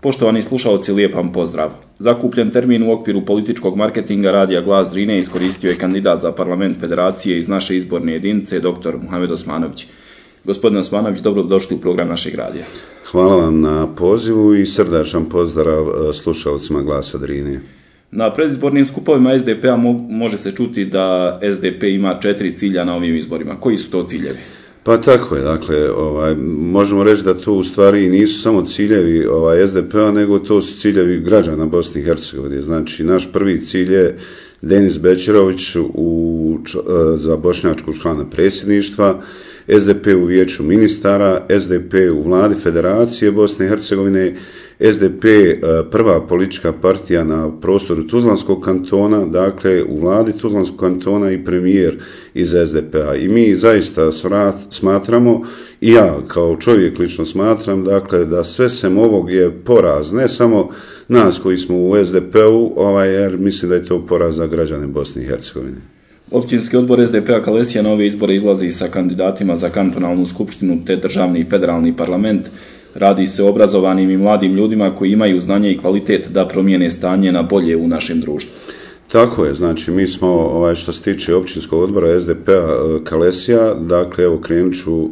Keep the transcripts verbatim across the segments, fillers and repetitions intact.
Poštovani slušalci, lijep vam pozdrav. Zakupljen termin u okviru političkog marketinga radija Glas Drine iskoristio je kandidat za parlament federacije iz naše izborne jedinice, doktor Muhamed Osmanović. Gospodin Osmanović, dobro došli u program našeg radija. Hvala vam na pozivu i srdačan pozdrav slušalcima Glasa Drine. Na predizbornim skupovima es de pe-a može se čuti da es de pe ima četiri cilja na ovim izborima. Koji su to ciljevi? Pa tako je, dakle, ovaj, možemo reći da to u stvari nisu samo ciljevi ovaj, es de pe-a, nego to su ciljevi građana Bosne i Hercegovine. Znači, naš prvi cilj je Denis Bećirović u, za bošnjačkog člana predsjedništva, es de pe u vijeću ministara, es de pe u vladi Federacije Bosne i Hercegovine, es de pe prva politička partija na prostoru Tuzlanskog kantona, dakle u vladi Tuzlanskog kantona i premijer iz es de pe-a. I mi zaista smatramo, i ja kao čovjek lično smatram, dakle da sve sem ovog je poraz, ne samo nas koji smo u es de pe-u, ovaj, jer mislim da je to poraz za građane Bosne i Hercegovine. Općinski odbor es de pe-a Kalesija na ove izbore izlazi sa kandidatima za kantonalnu skupštinu te državni i federalni parlament. Radi se o obrazovanim i mladim ljudima koji imaju znanje i kvalitet da promijene stanje na bolje u našem društvu. Tako je, znači mi smo, ovaj, što se tiče općinskog odbora es de pe-a Kalesija, dakle evo krenut ću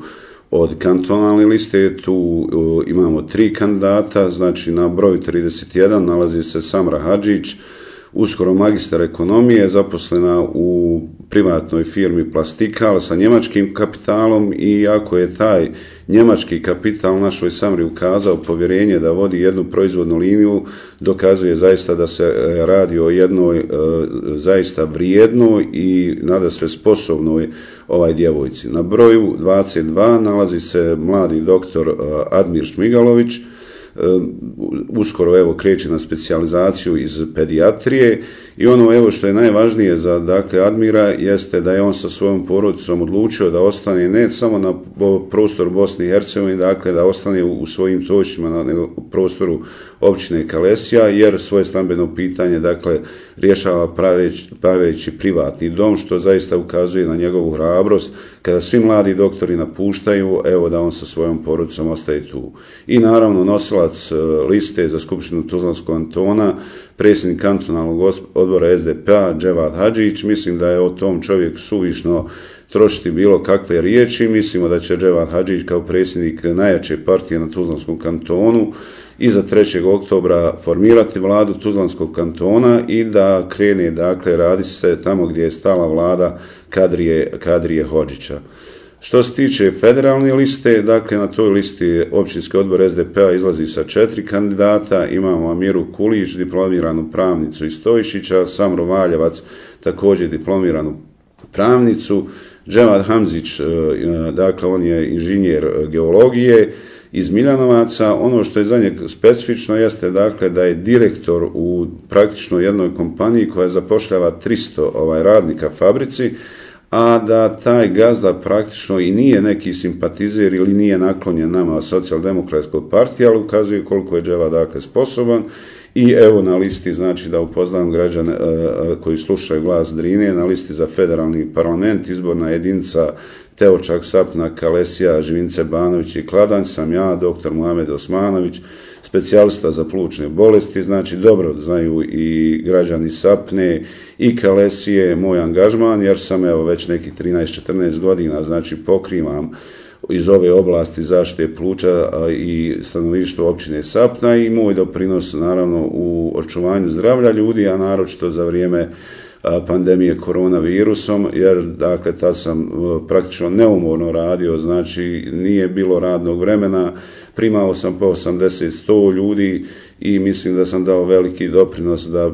od kantonalne liste, tu uh, imamo tri kandidata, znači na broju trideset jedan nalazi se Samra Hadžić, uskoro magistar ekonomije, zaposlena u privatnoj firmi Plastikal sa njemačkim kapitalom, i ako je taj njemački kapital našoj Samri ukazao povjerenje da vodi jednu proizvodnu liniju, dokazuje zaista da se radi o jednoj e, zaista vrijednoj i nadasve sposobnoj ovaj djevojci. Na broju dvadeset dva nalazi se mladi doktor e, Admir Šmigalović, uskoro evo kreće na specijalizaciju iz pedijatrije, i ono evo što je najvažnije za dakle Admira jeste da je on sa svojom porodicom odlučio da ostane ne samo na prostoru Bosne i Hercegovine, dakle da ostane u svojim točićima na prostoru općine Kalesija, jer svoje stambeno pitanje dakle rješava praveći, praveći privatni dom, što zaista ukazuje na njegovu hrabrost kada svi mladi doktori napuštaju, evo da on sa svojom porodicom ostaje tu. I naravno nosilac liste za skupštinu Tuzlanskog kantona, predsjednik kantonalnog odbora es de pe-a Dževad Hadžić. Mislim da je o tom čovjeku suvišno trošiti bilo kakve riječi. Mislimo da će Dževad Hadžić kao predsjednik najjače partije na Tuzlanskom kantonu iza trećeg oktobra formirati vladu Tuzlanskog kantona i da krene, dakle, radi se tamo gdje je stala vlada Kadrije, Kadrije Hodžića. Što se tiče federalne liste, dakle na toj listi općinski odbor es de pe-a izlazi sa četiri kandidata. Imamo Amiru Kulić, diplomiranu pravnicu iz Stojišića, Samro Valjevac, također diplomiranu pravnicu, Dževad Hamzić, dakle on je inženjer geologije iz Miljanovaca. Ono što je za njeg specifično jeste dakle da je direktor u praktično jednoj kompaniji koja zapošljava tristo ovaj, radnika fabrici, a da taj gazda praktično i nije neki simpatizer ili nije naklonjen nama socijaldemokratskoj partiji, ali ukazuje koliko je Dževad dakle sposoban. I evo na listi, znači da upoznam građane e, koji slušaju Glas Drine, na listi za federalni parlament, izborna jedinica Teočak, Sapna, Kalesija, Živince, Banović i Kladanj, sam ja, doktor Muhamed Osmanović, specijalista za plućne bolesti. Znači dobro znaju i građani Sapne i Kalesije moj angažman, jer sam evo već nekih trinaest četrnaest godina, znači pokrivam iz ove oblasti zaštite pluća i stanovništva općine Sapna, i moj doprinos naravno u očuvanju zdravlja ljudi, a naročito za vrijeme pandemije koronavirusom, jer dakle tad sam praktično neumorno radio, znači nije bilo radnog vremena, primao sam po osamdeset do sto ljudi i mislim da sam dao veliki doprinos da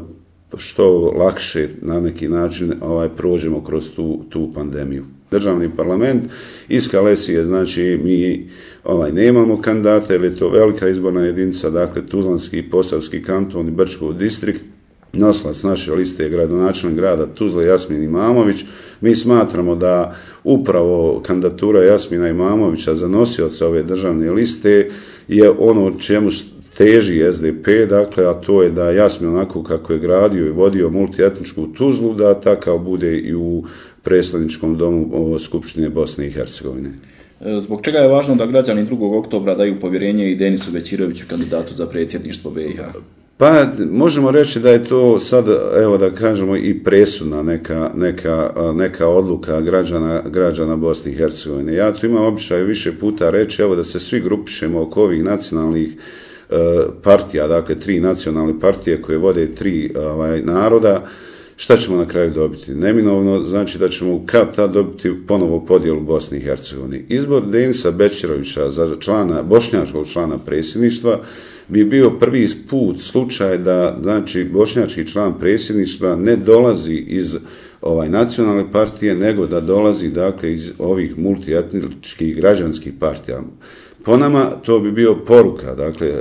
što lakše na neki način ovaj prođemo kroz tu, tu pandemiju. Državni parlament iz Kalesije, znači mi ovaj nemamo kandidata jer je to velika izborna jedinica, dakle Tuzlanski i Posavski kanton i Brčkov distrikt. Nosilac naše liste je gradonačelnik grada Tuzle Jasmin Imamović. Mi smatramo da upravo kandidatura Jasmina Imamovića za nosioca ove državne liste je ono čemu teži es de pe, dakle, a to je da Jasmin onako kako je gradio i vodio multietničku Tuzlu, da takav bude i u predstavničkom domu Skupštine Bosne i Hercegovine. Zbog čega je važno da građani drugog oktobra daju povjerenje i Denisu Bećiroviću, kandidatu za predsjedništvo B i H? Pa možemo reći da je to sad, evo da kažemo, i presudna neka, neka, neka odluka građana, građana Bosne i Hercegovine. Ja tu imam običaj više puta reći, evo da se svi grupišemo oko ovih nacionalnih e, partija, dakle tri nacionalne partije koje vode tri ovaj, naroda. Šta ćemo na kraju dobiti? Neminovno znači da ćemo kad tad dobiti ponovo podjelu Bosne i Hercegovine. Izbor Denisa Bećirovića za člana, bošnjačkog člana predsjedništva bi bio prvi put slučaj da znači bošnjački član predsjedništva ne dolazi iz ovaj nacionalne partije, nego da dolazi dakle iz ovih multietničkih građanskih partija. Po nama to bi bio poruka dakle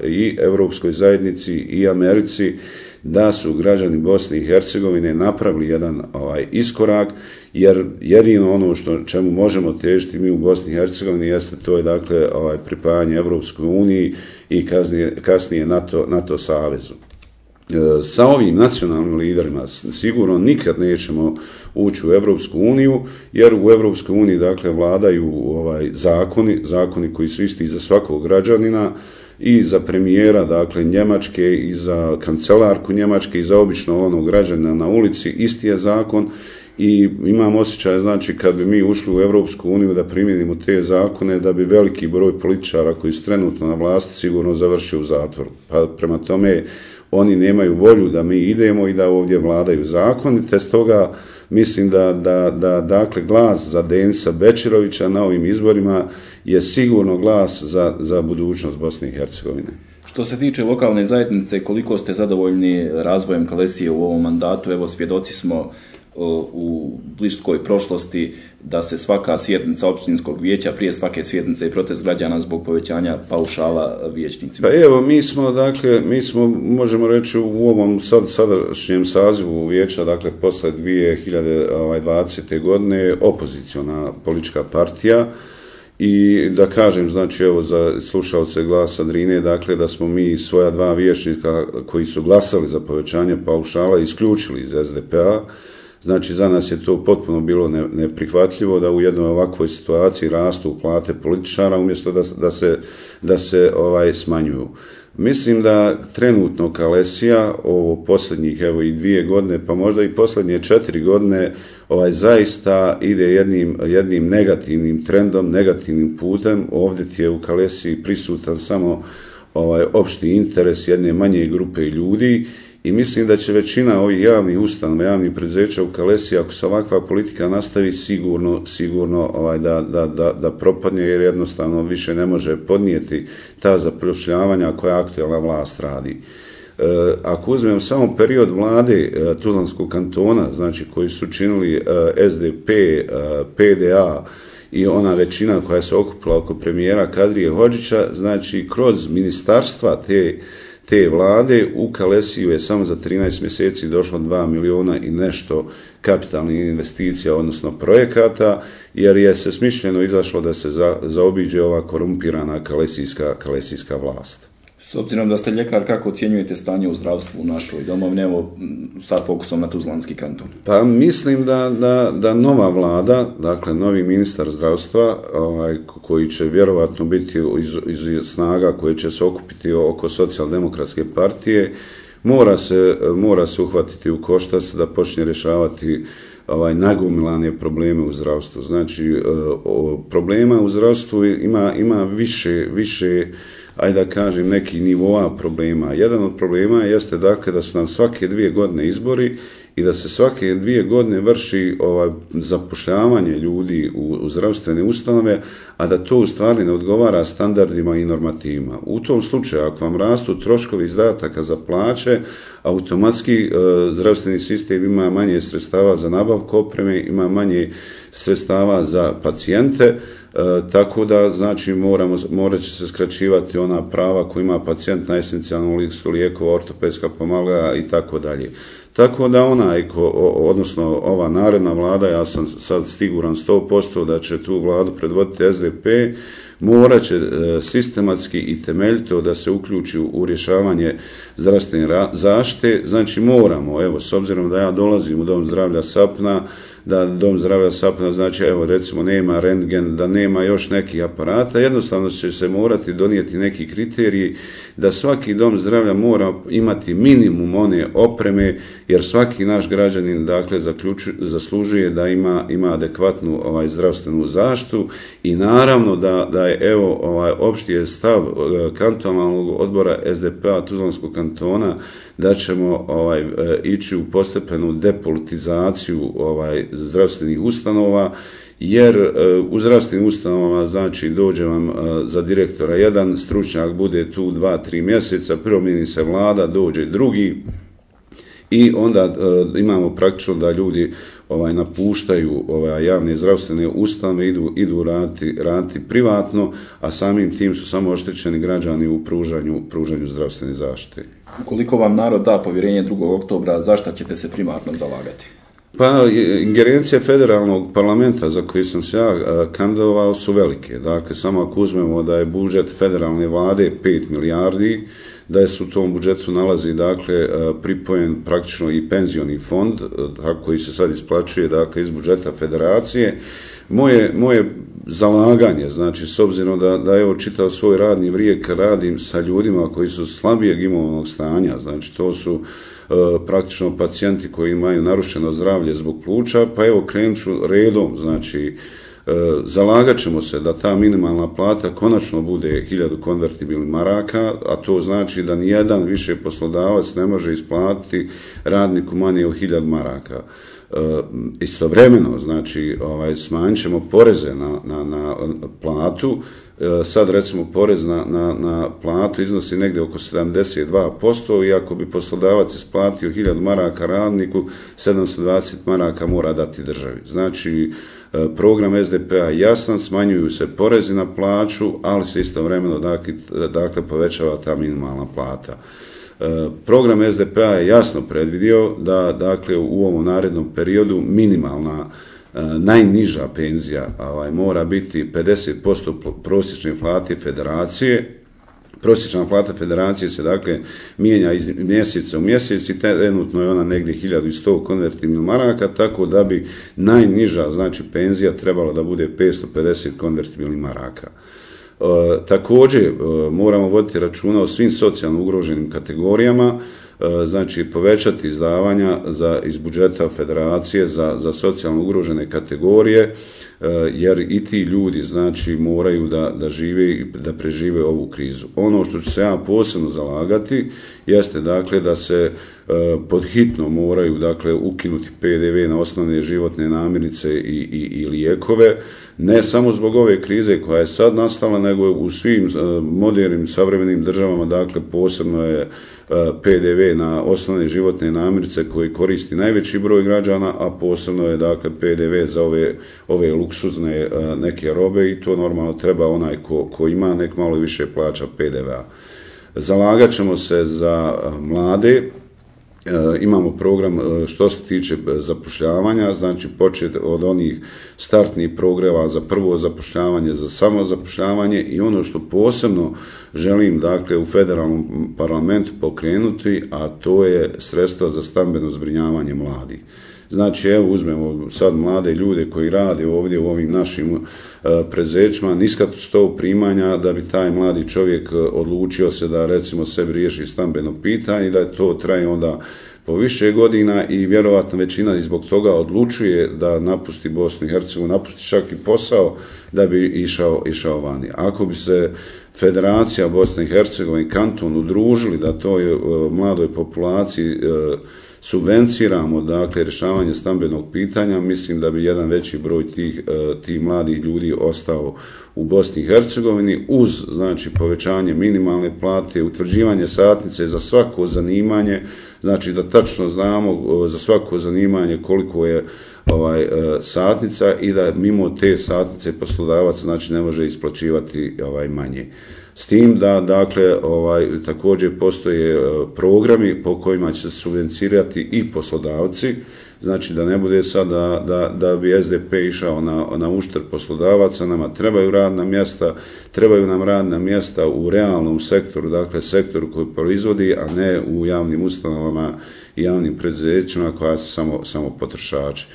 i Europskoj zajednici i Americi da su građani Bosne i Hercegovine napravili jedan ovaj iskorak, jer jedino ono što čemu možemo težiti mi u Bosni i Hercegovini jeste to je dakle ovaj pripajanje Evropskoj uniji i kasnije, kasnije NATO, NATO savezu. E, sa ovim nacionalnim liderima sigurno nikad nećemo ući u Evropsku uniju, jer u Evropskoj uniji dakle vladaju ovaj zakoni, zakoni koji su isti za svakog građanina, i za premijera, dakle, Njemačke, i za kancelarku Njemačke, i za obično onog građana na ulici, isti je zakon i imam osjećaj, znači, kad bi mi ušli u Evropsku uniju da primijenimo te zakone, da bi veliki broj političara koji su trenutno na vlasti sigurno završio u zatvoru. Pa prema tome, oni nemaju volju da mi idemo i da ovdje vladaju zakoni, te stoga mislim da, da, da dakle, glas za Denisa Bećirovića na ovim izborima je sigurno glas za, za budućnost Bosne i Hercegovine. Što se tiče lokalne zajednice, koliko ste zadovoljni razvojem Kalesije u ovom mandatu? Evo, svjedoci smo u bliskoj prošlosti da se svaka sjednica općinskog vijeća, prije svake sjednice i protest građana zbog povećanja paušala vijećnicima. Pa evo, mi smo, dakle, mi smo, možemo reći, u ovom sad, sadašnjem sazivu vijeća, dakle, posle dvije hiljade dvadesete. godine, opoziciona politička partija. I da kažem, znači, evo, za slušalce Glasa Drine, dakle, da smo mi svoja dva vijećnika koji su glasali za povećanje paušala isključili iz es de pe a. Znači, za nas je to potpuno bilo neprihvatljivo da u jednoj ovakvoj situaciji rastu plate političara umjesto da, da se, da se ovaj, smanjuju. Mislim da trenutno Kalesija ovo posljednjih evo i dvije godine, pa možda i posljednje četiri godine, ovaj zaista ide jednim, jednim negativnim trendom, negativnim putem. Ovdje ti je u Kalesiji prisutan samo ovaj opšti interes jedne manje grupe ljudi. I mislim da će većina ovih javnih ustanova, javnih preduzeća u Kalesiji, ako se ovakva politika nastavi, sigurno, sigurno ovaj, da, da, da, da propadne, jer jednostavno više ne može podnijeti ta zapošljavanja koja aktualna vlast radi. E, ako uzmem samo period vlade e, Tuzlanskog kantona, znači koji su činili e, es de pe, e, pe de a i ona većina koja se okupila oko premijera Kadrije Hodžića, znači kroz ministarstva te te vlade u Kalesiju je samo za trinaest mjeseci došlo dva miliona i nešto kapitalnih investicija, odnosno projekata, jer je se smišljeno izašlo da se za, zaobiđe ova korumpirana kalesijska, kalesijska vlast. S obzirom da ste ljekar, kako ocjenjujete stanje u zdravstvu u našoj domovini, evo sa fokusom na Tuzlanski kanton? Pa mislim da, da, da nova vlada, dakle novi ministar zdravstva, ovaj, koji će vjerovatno biti iz, iz snaga koje će se okupiti oko socijaldemokratske partije, mora se, mora se uhvatiti u koštac da počne rješavati ovaj nagomilane probleme u zdravstvu. Znači, o, problema u zdravstvu ima, ima više, više ajde da kažem, neki nivoa problema. Jedan od problema jeste dakle da su nam svake dvije godine izbori i da se svake dvije godine vrši ovaj, zapošljavanje ljudi u, u zdravstvene ustanove, a da to u stvari ne odgovara standardima i normativima. U tom slučaju, ako vam rastu troškovi izdataka za plaće, automatski e, zdravstveni sistem ima manje sredstava za nabavku opreme, ima manje sredstava za pacijente, e, tako da znači moramo, morat će se skraćivati ona prava koja ima pacijent na esencijalnu listu lijekova, ortopedska pomagala i tako dalje. Tako da onaj, ko, odnosno ova naredna vlada, ja sam sad siguran sto posto da će tu vladu predvoditi es de pe, morat će sistematski i temeljito da se uključi u rješavanje zdravstvene zaštite. Znači moramo, evo, s obzirom da ja dolazim u Dom zdravlja Sapna, da dom zdravlja Sapna, znači evo recimo nema rentgen, da nema još nekih aparata, jednostavno će se morati donijeti neki kriteriji da svaki dom zdravlja mora imati minimum one opreme, jer svaki naš građanin dakle zaslužuje da ima, ima adekvatnu ovaj, zdravstvenu zaštitu i naravno da, da je evo ovaj, opšti je stav kantonalnog odbora S D P-a Tuzlanskog kantona da ćemo ovaj, ići u postepenu depolitizaciju ovaj, zdravstvenih ustanova, jer u zdravstvenim ustanovama znači dođe vam za direktora jedan stručnjak, bude tu dva, tri mjeseca, promijeni se vlada, dođe drugi i onda imamo praktično da ljudi ovaj, napuštaju ovaj, javne zdravstvene ustanove, idu, idu raditi, raditi privatno, a samim tim su samo oštećeni građani u pružanju, pružanju zdravstvene zaštite. Ukoliko vam narod da povjerenje drugog oktobra, za šta ćete se primarno zalagati? Pa, ingerencije federalnog parlamenta za koji sam se ja kandidovao su velike. Dakle, samo ako uzmemo da je budžet federalne vlade pet milijardi, da se u tom budžetu nalazi dakle pripojen praktično i penzioni fond koji se sad isplaćuje dakle iz budžeta federacije. Moje, moje zalaganje, znači s obzirom da, da evo čitav svoj radni vijek radim sa ljudima koji su slabijeg imovnog stanja, znači to su e, praktično pacijenti koji imaju narušeno zdravlje zbog pluća, pa evo krenut ću redom, znači e, zalagat ćemo se da ta minimalna plata konačno bude hiljadu konvertibilnih maraka, a to znači da nijedan više poslodavac ne može isplatiti radniku manje od hiljadu maraka. Uh, istovremeno, znači, ovaj, smanjit ćemo poreze na, na, na platu, uh, sad recimo porez na, na, na platu iznosi negdje oko sedamdeset dva posto i ako bi poslodavac isplatio hiljadu maraka radniku, sedamsto dvadeset maraka mora dati državi. Znači, uh, program S D P-a jasan, smanjuju se porezi na plaću, ali se istovremeno dakle, dakle povećava ta minimalna plata. Program S D P-a je jasno predvidio da dakle u ovom narednom periodu minimalna najniža penzija ovaj, mora biti pedeset posto prosječne plate federacije. Prosječna plata federacije se dakle mijenja iz mjeseca u mjesec i trenutno je ona negdje hiljadu sto konvertibilnih maraka, tako da bi najniža znači penzija trebala da bude petsto pedeset konvertibilnih maraka. E, također e, moramo voditi računa o svim socijalno ugroženim kategorijama, e, znači povećati izdavanja za, iz budžeta federacije za, za socijalno ugrožene kategorije, e, jer i ti ljudi znači moraju da, da žive i da prežive ovu krizu. Ono što ću se ja posebno zalagati jeste dakle da se e, pod hitno moraju dakle ukinuti P D V na osnovne životne namirnice i, i, i lijekove, ne samo zbog ove krize koja je sad nastala, nego u svim uh, modernim, savremenim državama, dakle, posebno je uh, P D V na osnovne životne namirnice koji koristi najveći broj građana, a posebno je, dakle, P D V za ove, ove luksuzne uh, neke robe i to normalno treba onaj ko, ko ima nek malo više plaća P D V-a. Zalagat ćemo se za uh, mlade. E, imamo program e, što se tiče zapošljavanja, znači početi od onih startnih programa za prvo zapošljavanje, za samozapošljavanje i ono što posebno želim dakle u federalnom parlamentu pokrenuti, a to je sredstva za stambeno zbrinjavanje mladih. Znači, evo, uzmemo sad mlade ljude koji rade ovdje u ovim našim uh, prezećima, niska sto primanja da bi taj mladi čovjek odlučio se da recimo sebi riješi stambeno pitanje i da to traje onda po više godina i vjerovatno većina i zbog toga odlučuje da napusti Bosnu i Hercegovinu, napusti čak i posao da bi išao, išao vani. Ako bi se Federacija Bosne i Hercegovine i kanton udružili da toj uh, mladoj populaciji uh, subvenciramo dakle rješavanje stambenog pitanja, mislim da bi jedan veći broj tih, tih mladih ljudi ostao u Bosni i Hercegovini uz znači povećanje minimalne plate, utvrđivanje satnice za svako zanimanje, znači da tačno znamo za svako zanimanje koliko je ovaj satnica i da mimo te satnice poslodavac znači ne može isplaćivati ovaj manje. S tim da, dakle, ovaj, također postoje programi po kojima će se subvencirati i poslodavci, znači da ne bude sad da, da, da bi S D P išao na, na uštrb poslodavaca, nama trebaju radna mjesta, trebaju nam radna mjesta u realnom sektoru, dakle sektoru koji proizvodi, a ne u javnim ustanovama i javnim preduzećima koja su samo, samo potrošači.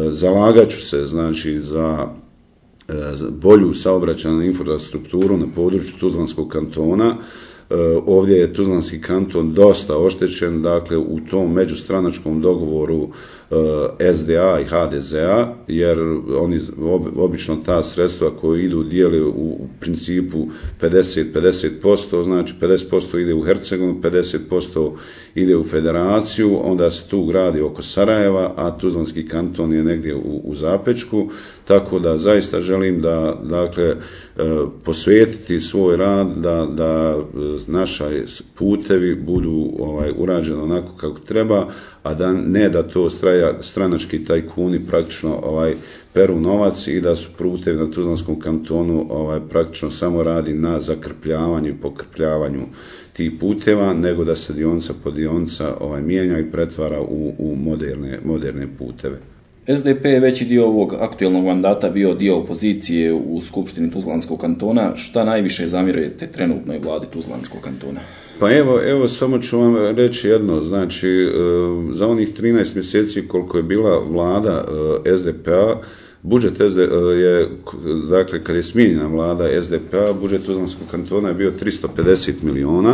Zalagat ću se, znači, za bolju saobraćajnu infrastrukturu na području Tuzlanskog kantona. Ovdje je Tuzlanski kanton dosta oštećen, dakle u tom međustranačkom dogovoru S D A i H D Z A, jer oni obično ta sredstva koje idu dijeli u principu pedeset pedeset posto, znači pedeset posto ide u Hercegovinu, pedeset posto ide u federaciju, onda se tu gradi oko Sarajeva, a Tuzlanski kanton je negdje u, u Zapečku, tako da zaista želim da, dakle, posvetiti svoj rad da, da naša putevi budu ovaj, urađeni onako kako treba, a da ne da to straja, stranački tajkuni praktično ovaj, peru novac i da su putevi na Tuzlanskom kantonu ovaj, praktično samo radi na zakrpljavanju i pokrpljavanju tih puteva, nego da se dionica po dionica ovaj, mijenja i pretvara u, u moderne, moderne puteve. S D P je veći dio ovog aktualnog mandata bio dio opozicije u Skupštini Tuzlanskog kantona. Šta najviše zamjerujete trenutnoj vladi Tuzlanskog kantona? Pa evo, evo samo ću vam reći jedno, znači za onih trinaest mjeseci koliko je bila vlada S D P-a, budžet S D P je, dakle kad je smijenjena vlada S D P-a, budžet Tuzlanskog kantona je bio tristo pedeset miliona.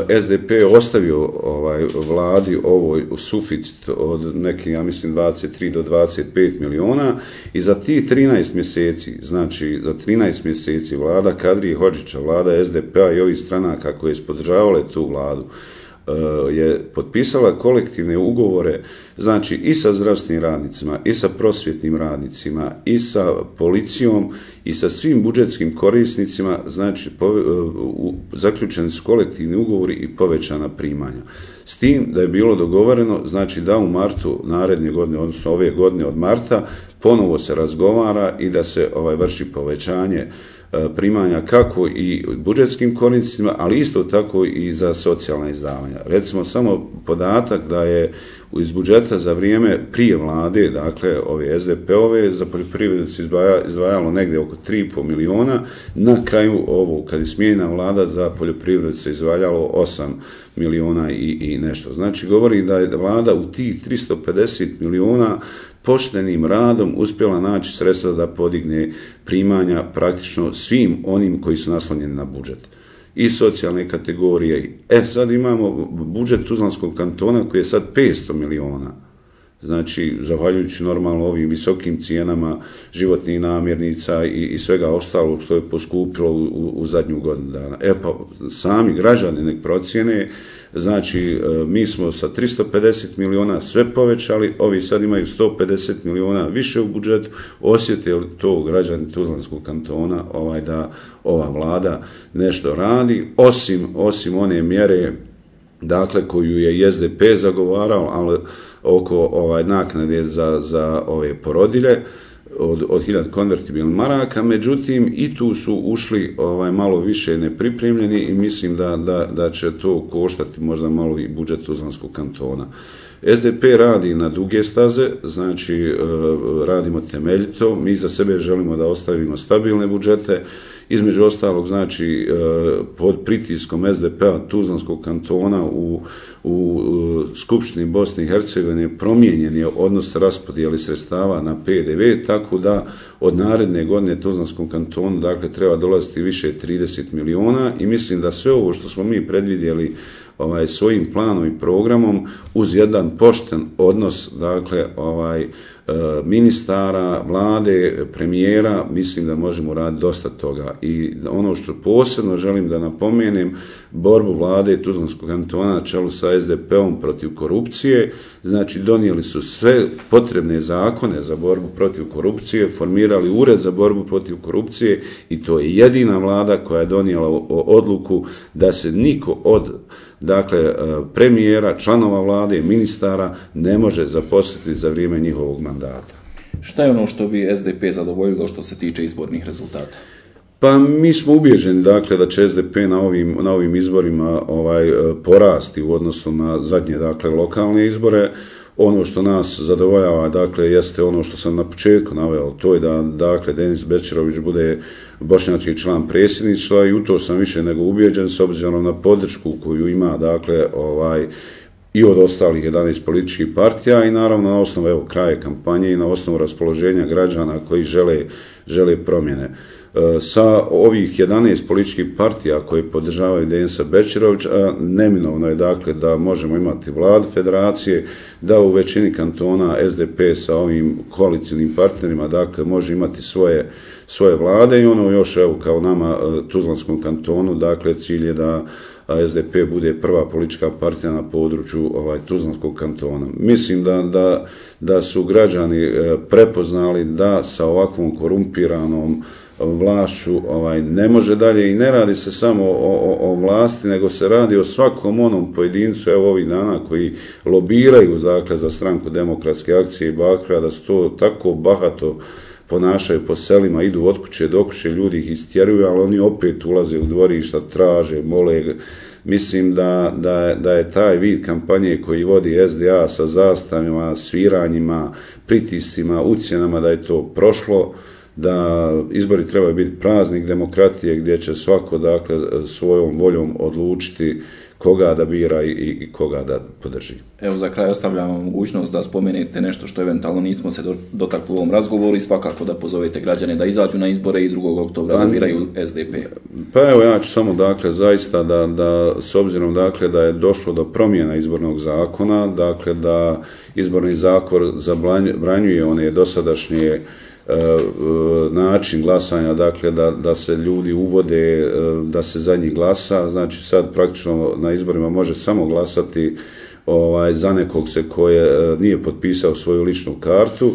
S D P je ostavio ovaj, vladi ovoj suficit od nekih, ja mislim, dvadeset tri do dvadeset pet miliona i za tih trinaest mjeseci, znači za trinaest mjeseci vlada Kadrije Hodžića, vlada S D P-a i ovih stranaka koje su podržavale tu vladu, je potpisala kolektivne ugovore, znači i sa zdravstvenim radnicima, i sa prosvjetnim radnicima, i sa policijom, i sa svim budžetskim korisnicima, znači zaključeni su kolektivni ugovori i povećana primanja. S tim da je bilo dogovoreno, znači da u martu naredne godine, odnosno ove godine od marta, ponovo se razgovara i da se ovaj, vrši povećanje primanja kako i budžetskim korisnicima, ali isto tako i za socijalna izdavanja. Recimo samo podatak da je iz budžeta za vrijeme prije vlade, dakle ove S D P-ove, za poljoprivredu se izdvajalo negdje oko tri i pol miliona, na kraju ovo, kad je smijenjena vlada, za poljoprivredu se izdvajalo osam miliona i, i nešto. Znači govori da je vlada u tih tristo pedeset miliona poštenim radom uspjela naći sredstva da podigne primanja praktično svim onim koji su naslonjeni na budžet. I socijalne kategorije. E sad imamo budžet Tuzlanskog kantona koji je sad petsto miliona. Znači, zahvaljujući normalno ovim visokim cijenama životnih namirnica i, i svega ostalog što je poskupilo u, u, u zadnju godinu dana. E pa, sami građani nek procjene, znači, mi smo sa tristo pedeset miliona sve povećali, ovi sad imaju sto pedeset miliona više u budžetu, osjete li to građani Tuzlanskog kantona ovaj, da ova vlada nešto radi, osim, osim one mjere, dakle, koju je i S D P zagovarao, ali oko ovaj, naknade za, za ove porodilje od, od hiljadu konvertibilnih maraka, međutim i tu su ušli ovaj, malo više nepripremljeni i mislim da, da, da će to koštati možda malo i budžet Tuzlanskog kantona. S D P radi na duge staze, znači radimo temeljito, mi za sebe želimo da ostavimo stabilne budžete, između ostalog, znači, pod pritiskom S D P-a Tuzlanskog kantona u, u Skupštini Bosne i Hercegovine promijenjen je odnos raspodijeli sredstava na P D V, tako da od naredne godine Tuzlanskom kantonu, dakle, treba dolaziti više trideset miliona i mislim da sve ovo što smo mi predvidjeli ovaj, svojim planom i programom uz jedan pošten odnos, dakle, ovaj, ministara, vlade, premijera, mislim da možemo raditi dosta toga. I ono što posebno želim da napomenem, borbu vlade Tuzlanskog kantona na čelu sa S D P-om protiv korupcije, znači donijeli su sve potrebne zakone za borbu protiv korupcije, formirali ured za borbu protiv korupcije i to je jedina vlada koja je donijela odluku da se niko od, dakle, premijera, članova vlade, ministara ne može zaposliti za vrijeme njihovog mandata. Šta je ono što bi S D P zadovoljilo što se tiče izbornih rezultata? Pa mi smo ubjeđeni, dakle, da će S D P na ovim, na ovim izborima ovaj, porasti u odnosu na zadnje, dakle, lokalne izbore. Ono što nas zadovoljava, dakle, jeste ono što sam na početku naveo, to je da, dakle, Denis Bećirović bude bošnjački član predsjedništva i u to sam više nego ubjeđen s obzirom na podršku koju ima, dakle, ovaj, i od ostalih jedanaest političkih partija i naravno na osnovu evo, kraja kampanje i na osnovu raspoloženja građana koji žele, žele promjene. Sa ovih jedanaest političkih partija koje podržavaju Denisa Bećirovića, neminovno je dakle da možemo imati vladu federacije, da u većini kantona S D P sa ovim koalicijnim partnerima dakle može imati svoje, svoje vlade i ono još evo kao nama Tuzlanskom kantonu, dakle cilj je da S D P bude prva politička partija na području ovaj, Tuzlanskog kantona. Mislim da, da, da su građani prepoznali da sa ovakvom korumpiranom vlašću ovaj, ne može dalje i ne radi se samo o, o, o vlasti, nego se radi o svakom onom pojedincu, evo ovih dana koji lobiraju dakle, za stranku Demokratske akcije i Bakra, da su to tako bahato ponašaju po selima, idu od kuće do kuće, ljudi ih istjeruju, ali oni opet ulaze u dvorišta, traže, mole. Mislim da, da, je, da je taj vid kampanje koji vodi S D A sa zastavima, sviranjima, pritiscima, ucjenama, da je to prošlo, da izbori trebaju biti praznik demokratije gdje će svako dakle, svojom voljom odlučiti koga da bira i, i koga da podrži. Evo za kraj ostavljam vam mogućnost da spomenete nešto što eventualno nismo se dotakli u ovom razgovoru i svakako da pozovete građane da izađu na izbore i drugog oktobra da biraju S D P. Pa evo ja ću samo dakle zaista da, da s obzirom dakle da je došlo do promjena izbornog zakona, dakle da izborni zakon zabranjuje one dosadašnje način glasanja, dakle da, da se ljudi uvode, da se za njih glasa, znači sad praktično na izborima može samo glasati ovaj, za nekog se koje nije potpisao svoju ličnu kartu.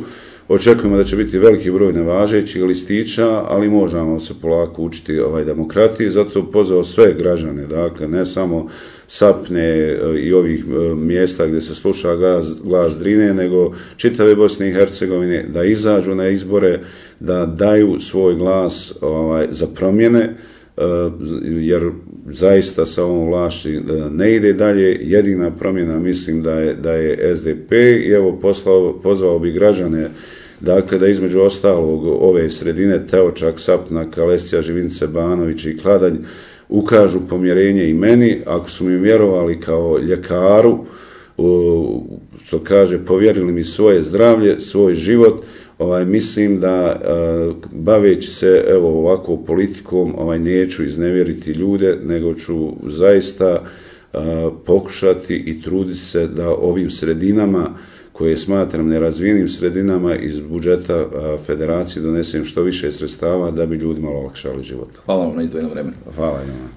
Očekujemo da će biti veliki broj nevažećih listića, ali možemo se polako učiti ovaj demokratiji, zato pozvao sve građane, dakle ne samo Sapne i ovih mjesta gdje se sluša glas, glas Drine, nego čitave Bosne i Hercegovine da izađu na izbore, da daju svoj glas ovaj, za promjene, jer zaista sa ovom vlašći ne ide dalje. Jedina promjena mislim da je, da je S D P i evo poslao, pozvao bi građane dakle da između ostalog ove sredine Teočak, Sapna, Kalesija, Živince, Banović i Kladanj ukažu pomjerenje i meni, ako su mi vjerovali kao ljekaru, što kaže, povjerili mi svoje zdravlje, svoj život, ovaj, mislim da baveći se evo ovako politikom ovaj, neću iznevjeriti ljude, nego ću zaista pokušati i truditi se da ovim sredinama koje smatram nerazvijenim sredinama iz budžeta federacije donesem što više sredstava da bi ljudima olakšali život. Hvala vam na izdvojenom vremenu. Hvala vam.